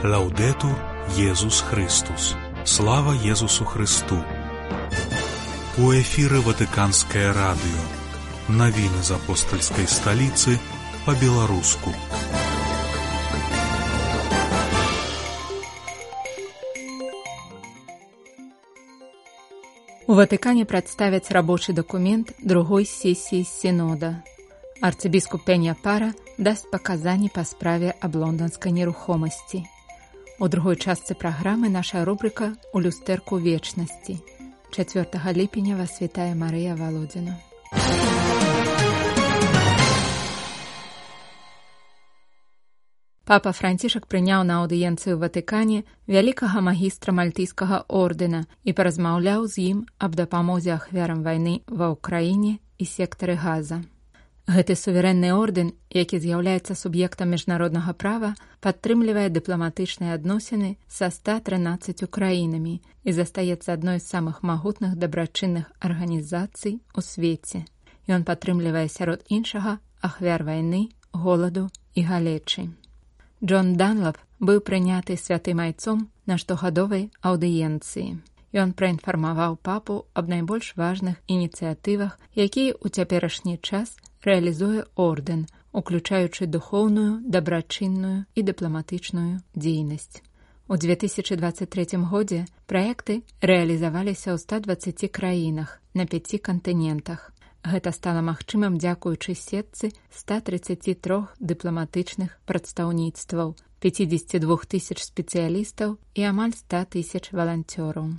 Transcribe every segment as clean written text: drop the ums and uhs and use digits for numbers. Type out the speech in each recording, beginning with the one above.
Лаўдэтур Езус Христус. Слава Езусу Христу. У эфіры Ватыканскае радыё. Навіны з апостальскай сталіцы па-беларуску. У Ватыкане прадставяць рабочы дакумент другой сесіі сінода. Арцыбіскуп Пенья Пара дасць паказанні па справе аб лонданскай нерухомасці. У другой частцы праграмы наша рубрика «У люстэрку вечнасці». 4 ліпеня вас вітае Марыя Володіна. Папа Францішак прыняў на аўдыенцыю ў Ватыкане вялікага магістра мальтыйскага ордэна і паразмаўляў з ім аб дапамозе ахвярам вайны ва ўкраіне і сектары Газа. Гэты суверэнны ордэн, які з'яўляецца суб'ектам міжнароднага права, падтрымлівае дыпламатычныя адносіны са 113 краінамі і застаецца адной з самых магутных дабрачынных арганізацый у свеце. Ён падтрымлівае сярод іншага ахвяр вайны, голаду і галечы. Джон Данлап быў прыняты святым айцом на штогадовай аўдыенцыі. Ён праінфармаваў папу аб найбольш важных ініцыятывах, якія ў цяперашні час рэалізуе ордэн, уключаючы духоўную, дабрачынную і дыпламатычную дзейнасць. У 2023 годзе праекты рэалізаваліся ў 120 краінах на 5 кантынентах. Гэта стала магчымым дзякуючы сетцы 133 дыпламатычных прадстаўніцтваў, 52 тысяч спецыялістаў і амаль 100 тысяч валанцёраў.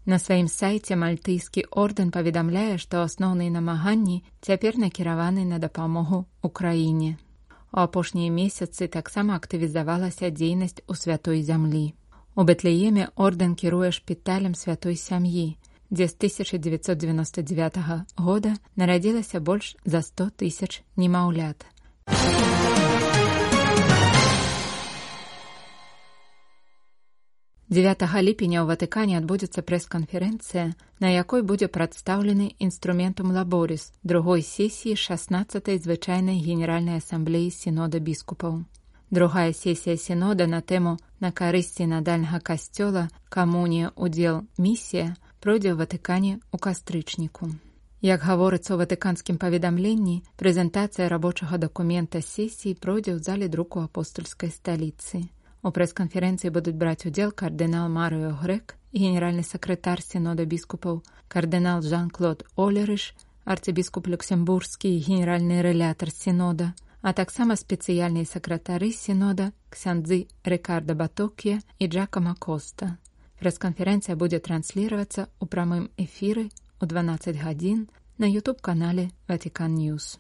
На сваім сайце мальтыйскі ордэн паведамляе, што асноўныя намаганні цяпер накіраваны на дапамогу ўкраіне. У апошнія месяцы таксама актывізавалася дзейнасць у святой зямлі. У Бэтлееме ордэн кіруе шпіталем святой сям'і, дзе з 1999 года нарадзілася больш за 100 тысяч немаўлят. 9 ліпеня ў Ватыкане адбудзецца прэс-канферэнцыя, на якой будзе прадстаўлены інструментум лаборис другой сесіі 16-й звычайнай генеральнай асамблеі сінода біскупаў. Другая сесія сінода на тэму «На карысць сінадальнага касцёла. Камунія, удзел, місія» пройдзе ў Ватыкане ў кастрычніку. Як гаворыцца ў ватыканскім паведамленні, прэзентацыя рабочага дакумента сесіі пройдзе ў зале друку апостольскай сталіцы. У прэс-канферэнцыі будуць браць удзел кардынал Марыо Грэк, генеральны сакратар сінода біскупаў, кардынал Жан-Клод Олерыш, арцыбіскуп люксембургскі і генеральны рэлятар сінода, а таксама спецыяльныя сакратары сінода ксяндзы Рикардо Батоккія і Джакома Коста. Прэс-канферэнцыя будзе трансліравацца ў прамым эфіры ў 12 гадзін на YouTube-канале Vatican News.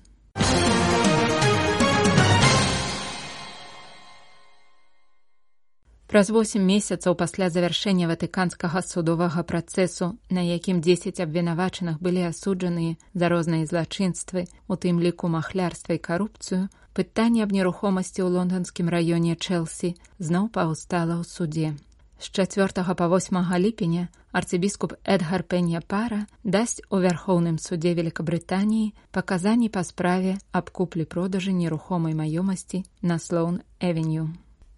Праз 8 месяцаў пасля завяршэння ватыканскага судовага працэсу, на якім 10 абвінавачаных былі асуджаныя за розныя злачынствы, у тым ліку махлярства і карупцыю, пытанне аб нерухомасці ў лонданскім раёне Чэлсі зноў паўстала ў суде. З 4 па 8 ліпеня арцыбіскуп Эдгар Пенья Пара дасць у Вярхоўным судзе Великабрытаніі паказанні па справе аб куплі-продажы нерухомай маёмасці на Слоун-Эвеню.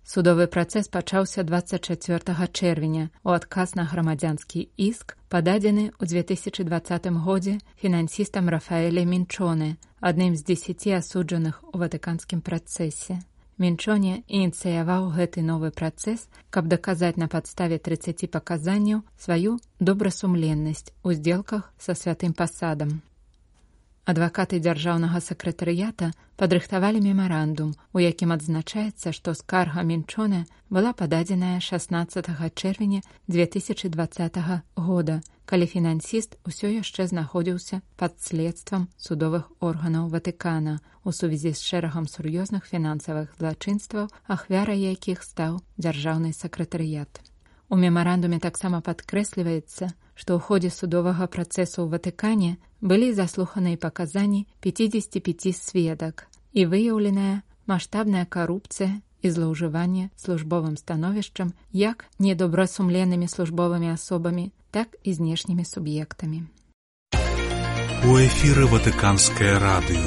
Судовы працэс пачаўся 24 чэрвеня у адказ на грамадзянскі іск, пададзены ў 2020 годзе фінансістам Рафаэле Мінчоне, адным з 10 асуджаных у ватыканскім працэсе. Мінчоне ініцыяваў гэты новы працэс, каб даказаць на падставе 30 паказанняў сваю добрасумленнасць у здзелках са святым пасадам. Адвакаты дзяржаўнага сакратарыята падрыхтавалі мемарандум, у якім адзначаецца, што скарга Мінчоне была пададзеная 16 чэрвеня 2020 года, калі фінансіст усё яшчэ знаходзіўся пад следствам судовых органаў Ватыкана у сувязі з шэрагам сур'ёзных фінансавых злачынстваў, ахвярай якіх стаў дзяржаўны сакратарыят. У мемарандуме таксама падкрэсліваецца, што ў ходзе судовага працэсу ў Ватыкане былі заслуханыя паказанні 55 сведак і выяўленая маштабная карупцыя і злоўжыванне службовым становішчам як недобрасумленнымі службовымі асобамі, так і знешнімі суб'ектамі. У эфіры Ватыканскае радыё.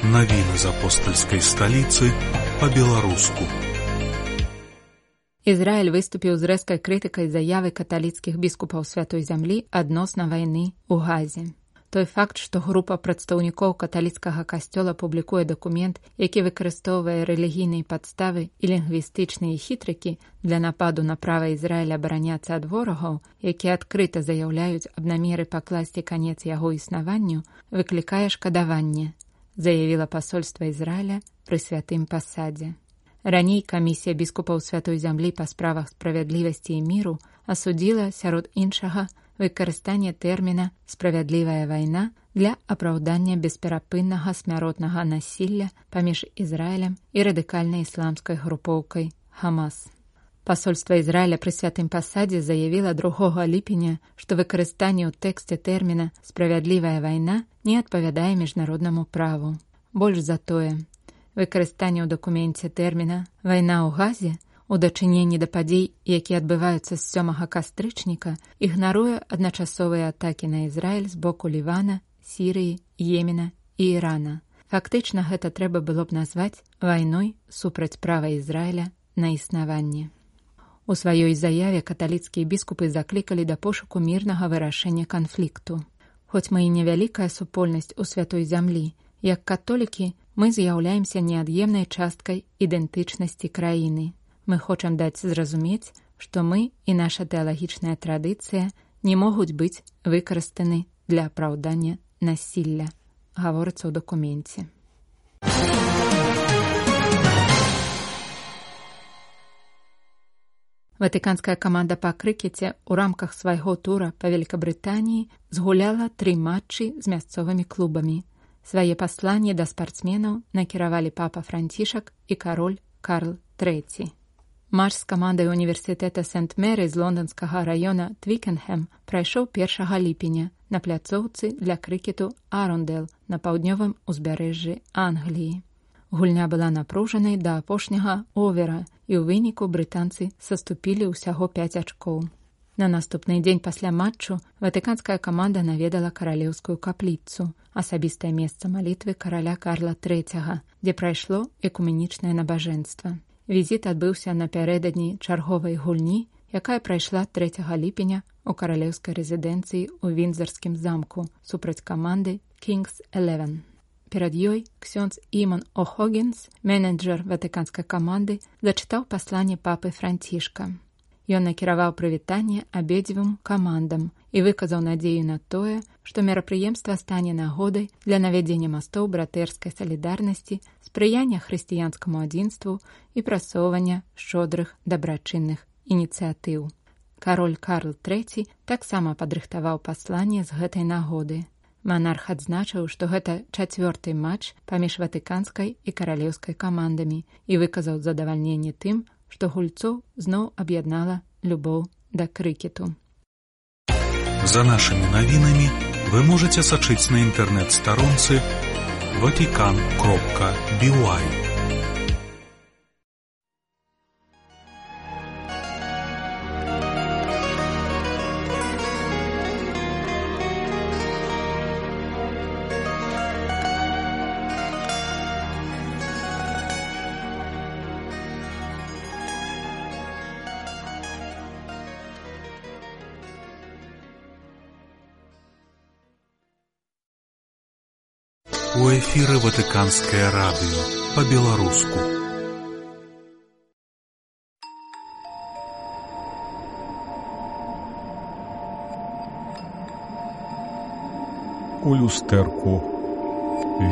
Навіны з апостальскай сталіцы па-беларуску. Ізраіль выступіў з рэзкай крытыкай заявы каталіцкіх біскупаў Святой зямлі адносна вайны ў Газе. Той факт, што група прадстаўнікоў каталіцкага касцёла публікуе дакумент, які выкарыстоўвае рэлігійныя падставы і лінгвістычныя хітрыкі для нападу на права Ізраіля абараняцца ад ворагаў, якія адкрыта заяўляюць аб намеры пакласці канец яго існаванню, выклікае шкадаванне, заявіла пасольства Ізраіля пры святым пасадзе. Раней камісія біскупаў Святой зямлі па справах справядлівасці і міру асудзіла, сярод іншага, выкарыстанне тэрміна «справядлівая вайна» для апраўдання бесперапыннага смяротнага насілля паміж Ізраілем і радыкальнай ісламскай групоўкай «Хамас». Пасольства Ізраіля пры святым пасадзе заявіла 2 ліпеня, што выкарыстанне ў тэксце тэрміна «справядлівая вайна» не адпавядае міжнароднаму праву. Больш за тое, выкарыстанне ў дакуменце тэрміна «вайна ў Газе» у дачыненні да падзей, якія адбываюцца з 7 кастрычніка, ігнаруе адначасовыя атакі на Ізраіль з боку Лівана, Сірыі, Йемена і Ірана. Фактычна гэта трэба было б назваць вайной супраць права Ізраіля на існаванне. У сваёй заяве каталіцкія біскупы заклікалі да пошуку мірнага вырашэння канфлікту. Хоць мы і невялікая супольнасць у Святой зямлі, як католікі мы з'яўляемся неад'емнай часткай ідэнтычнасці краіны. Мы хочам даць зразумець, што мы і наша тэалагічная традыцыя не могуць быць выкарыстаны для апраўдання насілля, гаворыцца ў дакуменце. Ватыканская каманда па крыкеце ў рамках свайго тура па Великабрытаніі згуляла 3 матчы з мясцовымі клубамі. Свае пасланні да спартсменаў накіравалі папа Францішак і кароль Карл III. Матч з камандай універсітэта Сент-Мері з лонданскага раёна Твікенхэм прайшоў 1 ліпеня на пляцоўцы для крыкету Арундэл на паўднёвым узбярэжжы Англіі. Гульня была напружанай да апошняга овера, і ў выніку брытанцы саступілі ўсяго 5 ачкоў. На наступны дзень пасля матчу ватыканская каманда наведала каралеўскую капліцу, асабістае месца малітвы караля Карла III, дзе прайшло экуменічнае набажэнства. Візіт адбыўся напярэдадні чарговай гульні, якая прайшла 3 ліпеня у каралеўскай рэзідэнцыі ў Віндзарскім замку супраць каманды Kings 11. Перад ёй ксёндз Іман О'Хогінс, менеджер ватыканскай каманды, зачытаў пасланне папы Францішка. Ён накіраваў прывітанне абедзвюм камандам і выказаў надзею на тое, што мерапрыемства стане нагодай для навядзення мастоў братэрскай салідарнасці, спрыяння хрысціянскаму адзінству і прасоўвання шчодрых дабрачынных ініцыятыў. Кароль Карл III таксама падрыхтаваў пасланне з гэтай нагоды. Манарх адзначыў, што гэта 4-й матч паміж ватыканскай і каралеўскай камандамі і выказаў задавальненне тым, што гульцоў зноў аб'яднала любоў да крыкету. За нашымі навінамі вы можаце сачыць на інтэрнэт-старонцы vatican.by. У эфіры Ватыканскае радыё па-беларуску. У люстэрку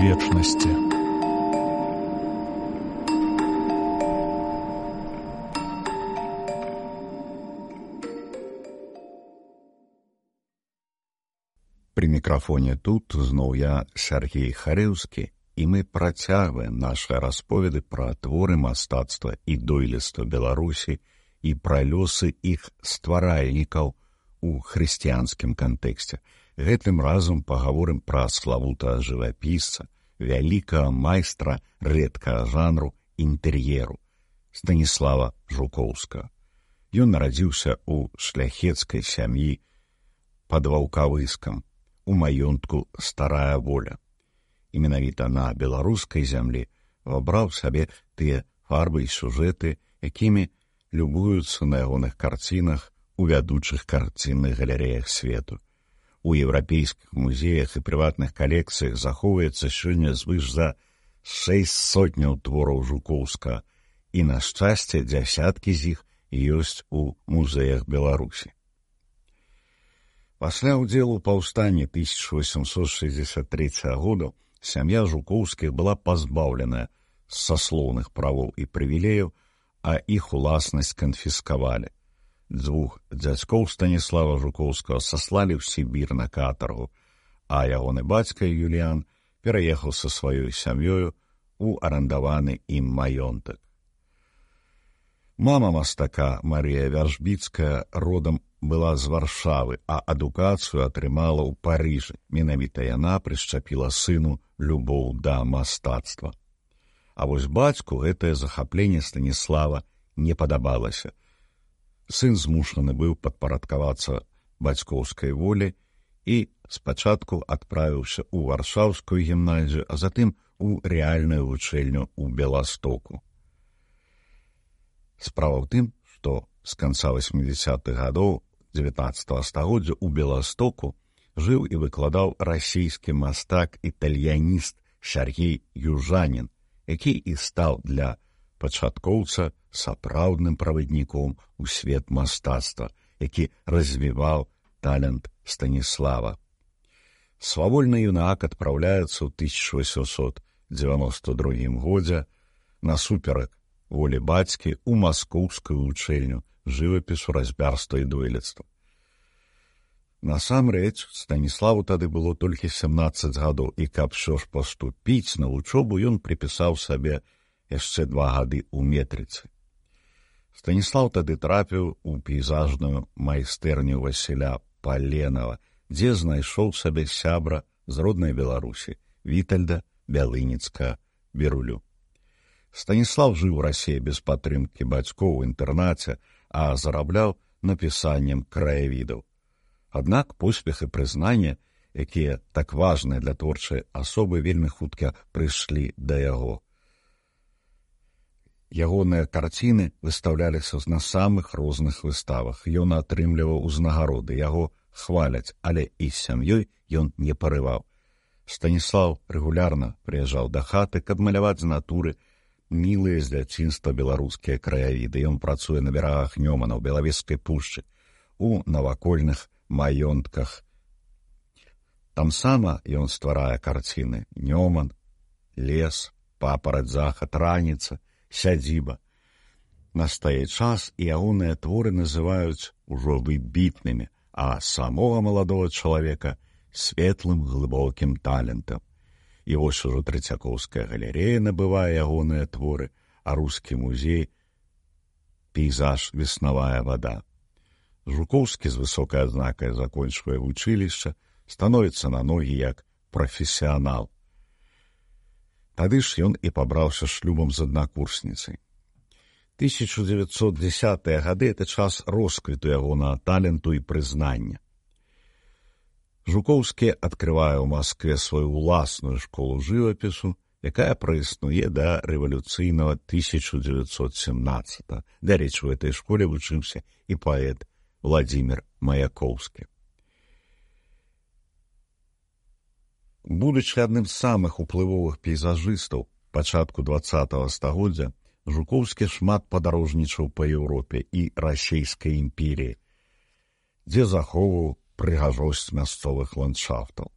вечнасці. Пры мікрафоне тут зноў я, Сергей Харэўскі, і мы працягваем нашы расповеды пра творы мастацтва і дойлідства Беларусі і пра лёсы іх стваральнікаў у хрысціянскім кантэксце. Гэтым разам пагаворым пра славутага жывапісца, вялікага майстра рэдкага жанру інтэр'еру Станіслава Жукоўскага. Ён нарадзіўся ў шляхецкай сям'і пад Ваўкавыскам, у маёнтку Старая Воля. І менавіта на беларускай зямлі вабраў сабе тыя фарбы і сюжэты, якімі любуюцца на ягоных карцінах у вядучых карцінных галерэях свету. У еўрапейскіх музеях і прыватных калекцыях захоўваецца сёння звыш за 600 твораў Жукоўскага, і, на шчасце, дзясяткі з іх ёсць у музеях Беларусі. Пасля ўдзелу ў паўстанні 1863 года сям'я Жукоўскіх была пазбаўленая саслоўных правоў і прывілеяў, а іх уласнасць канфіскавалі. Дзвюх дзядзькоў Станіслава Жукоўскага саслалі ў Сібір на катаргу, а ягоны бацька Юліян пераехаў са сваёй сям'ёю у арандаваны ім маёнтак. Мама мастака Марія Вяржбіцкая родам была з Варшавы, а адукацыю атрымала ў Парыжы. Менавіта яна прышчапіла сыну любоў да мастацтва. А вось бацьку гэтае захапленне Станіслава не падабалася. Сын змушаны быў падпарадкавацца бацькоўскай волі і спачатку адправіўся ў Варшаўскую гімназію, а затым у рэальную вучэльню ў Беластоку. Справа ў тым, што з канца 80-х гадоў 19 стагоддзя ў Беластоку жыў і выкладаў расійскі мастак-італьяніст Сяргей Южанін, які і стаў для пачаткоўца сапраўдным правадніком у свет мастацтва, які развіваў талент Станіслава. Свавольны юнак адпраўляецца ў 1892 годзе насуперак волі бацькі ў маскоўскую вучэльню жывапісу, разьбярства і дойлідства. Насамрэч, Станіславу тады было толькі 17 гадоў, і каб ўсё ж паступіць на вучобу, ён прыпісаў сабе яшчэ 2 гады ў метрыцы. Станіслаў тады трапіў у пейзажную майстэрню Васіля Паленава, дзе знайшоў сабе сябра з роднай Беларусі, Вітальда Бялыніцка-Берулю. Станіслав жыў у Расіі без падтрымкі бацькоў у інтэрнаце, а зарабляў напісаннем краявідаў. Аднак поспех і прызнанне, якія так важныя для творчай асобы, вельмі хутка прыйшлі да яго. Ягоныя карціны выстаўляліся на самых розных выставах. Ён атрымліваў узнагароды, яго хваляць, але і з сям'ёй ён не парываў. Станіслав рэгулярна прыязджаў да хаты, каб маляваць з натуры мілыя з дзяцінства беларускія краявіды. Ён працуе на берагах Нёмана, ў Белавежскай пушчы, у навакольных маёнтках. Тамсама ён стварае карціны: Нёман, лес, папараць, захад, раніца, сядзіба. Настае час, і ягоныя творы называюць ужо выбітнымі, а самога маладога чалавека светлым глыбокім талентам. І вось ужо Трэцякоўская галерэя набывае ягоныя творы, а рускі музей пейзаж «Веснавая вада». Жукоўскі з высокай адзнакай закончвае вучылішча, становіцца на ногі як прафесіянал. Тады ж ён і пабраўся шлюбам з аднакурсніцай. 1910-е гады — это час росквіту ягонага таленту і прызнання. Жукоўскі адкрывае ў Маскве сваю ўласную школу жывапісу, якая праіснуе да рэвалюцыйнага 1917-го. Дарэчы, у этой школе вучыўся і паэт Владзімір Маяковскі. Будучы адным з самых уплывовых пейзажыстаў пачатку 20-го стагоддзя, Жукоўскі шмат падарожнічаў па Еўропе і расійскай імперіі, дзе захоўваў прыгажосць мясцовых ландшафтаў.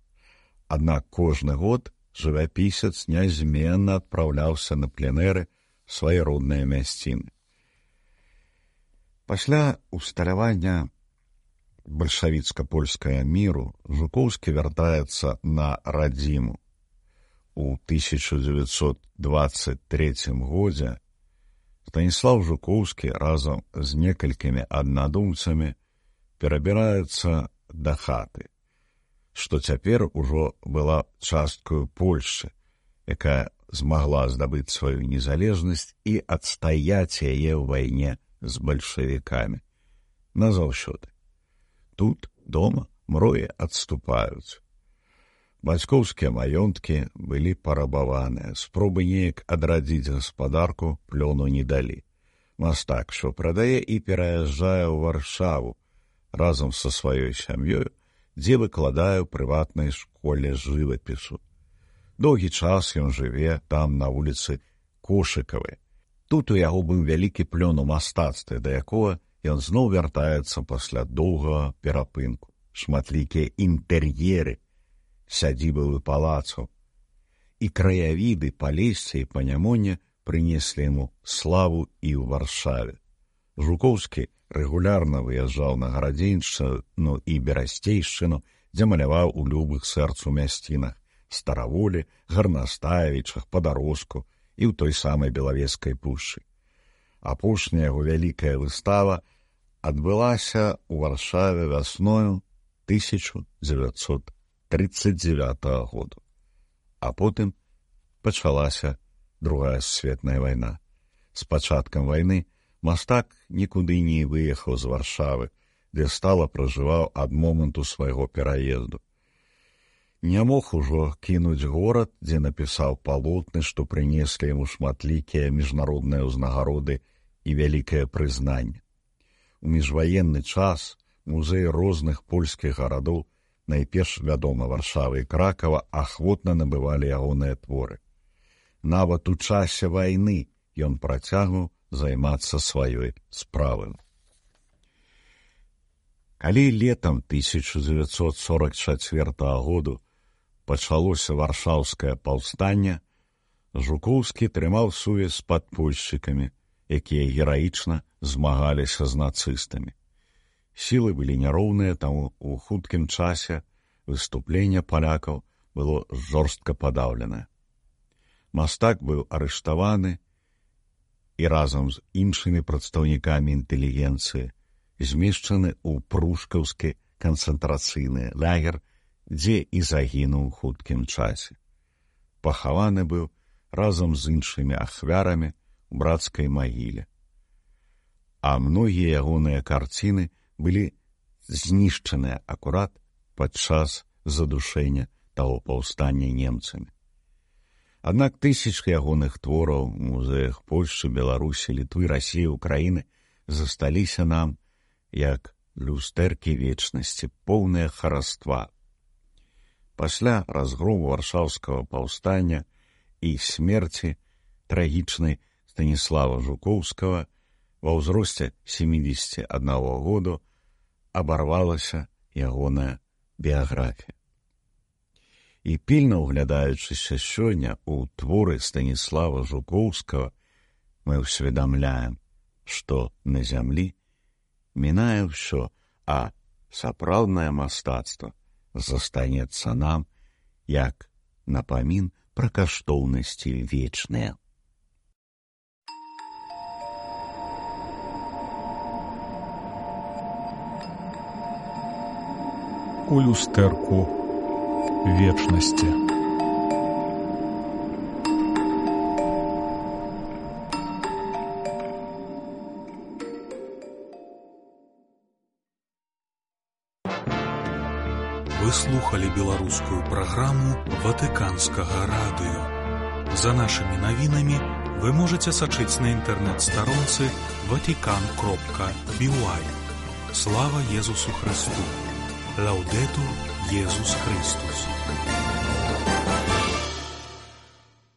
Аднак кожны год жывапісец нязменна адпраўляўся на пленэры свае родныя мясціны. Пасля усталявання бальшавіцка-польскага міру Жукоўскі вяртаецца на радзіму. У 1923 годзе Станіслав Жукоўскі разам з некалькімі аднадумцамі перабіраецца да хаты, што цяпер ужо была часткаю Польшчы, якая змагла здабыць сваю незалежнасць і адстаяць яе ў вайне з бальшавікамі. Назаўсёды. Тут, дома, мроі адступаюць. Бацькоўскія маёнткі былі парабаваныя, спробы неяк адрадзіць гаспадарку плёну не далі. Мастак що прадае і пераязджае ў Варшаву разам са сваёй сям'ёю, дзе выкладае ў прыватнай школе жывапісу. Доўгі час ён жыве там на вуліцы Кошыкавай. Тут у яго быў вялікі плён у мастацтве, да якога ён зноў вяртаецца пасля доўгага перапынку. Шматлікія інтэр'еры сядзібы палацаў і краявіды Палесся і Панямоння прынеслі яму славу і ў Варшаве. Жукоўскі рэгулярна выязджаў на Гарадзеншчыну і Берасцейшчыну, дзе маляваў у любых сэрцу мясцінах Стараволі, Гарнастаевічах, Падарожку і ў той самай Белавежскай пушчы. Апошняя яго вялікая выстава адбылася ў Варшаве вясною 1939 году. А потым пачалася Другая сусветная вайна. З пачаткам вайны мастак нікуды не выехаў з Варшавы, дзе стала пражываў ад моманту свайго пераезду. Не мог ужо кінуць горад, дзе напісаў палотны, што прынеслі яму шматлікія міжнародныя ўзнагароды і вялікае прызнанне. У міжваенны час музеі розных польскіх гарадоў, найперш вядома Варшавы і Кракава, ахвотна набывалі ягоныя творы. Нават у часе вайны ён працягваў займацца сваёй справай. Калі летам 1944 году пачалося варшаўскае паўстанне, Жукоўскі трымаў сувязь з падпольшчыкамі, якія гераічна змагаліся з нацыстамі. Сілы былі няроўныя, таму ў хуткім часе выступленне палякаў было жорстка падаўленае. Мастак быў арыштаваны і разам з іншымі прадстаўнікамі інтэлігенцыі змешчаны ў прушкаўскі канцэнтрацыйны лагер, дзе і загінуў у хуткім часе. Пахаваны быў разам з іншымі ахвярамі ў брацкай магіле. А многія ягоныя карціны былі знішчаныя акурат падчас задушэння таго паўстання немцамі. Аднак тысячы ягоных твораў у музеях Польшчы, Беларусі, Літвы, Расіі, Украіны засталіся нам як люстэркі вечнасці, поўныя хараства. Пасля разгрому варшаўскага паўстання і смерці трагічнай Станіслава Жукоўскага ва ўзросце 71 году абарвалася ягоная біяграфія. І пільна ўглядаючыся сёння ў творы Станіслава Жукоўскага, мы ўсведамляем, што на зямлі мінае ўсё, а сапраўднае мастацтва застанецца нам як напамін пра каштоўнасці вечныя. У люстэрку вечности. Вы слухали беларускую праграму Ватыканскага радыё. За нашымі навінамі вы можаце сачыць на інтэрнэт-старонцы vatican.by. Слава Езусу Христу! Лаудетур Езус Христус!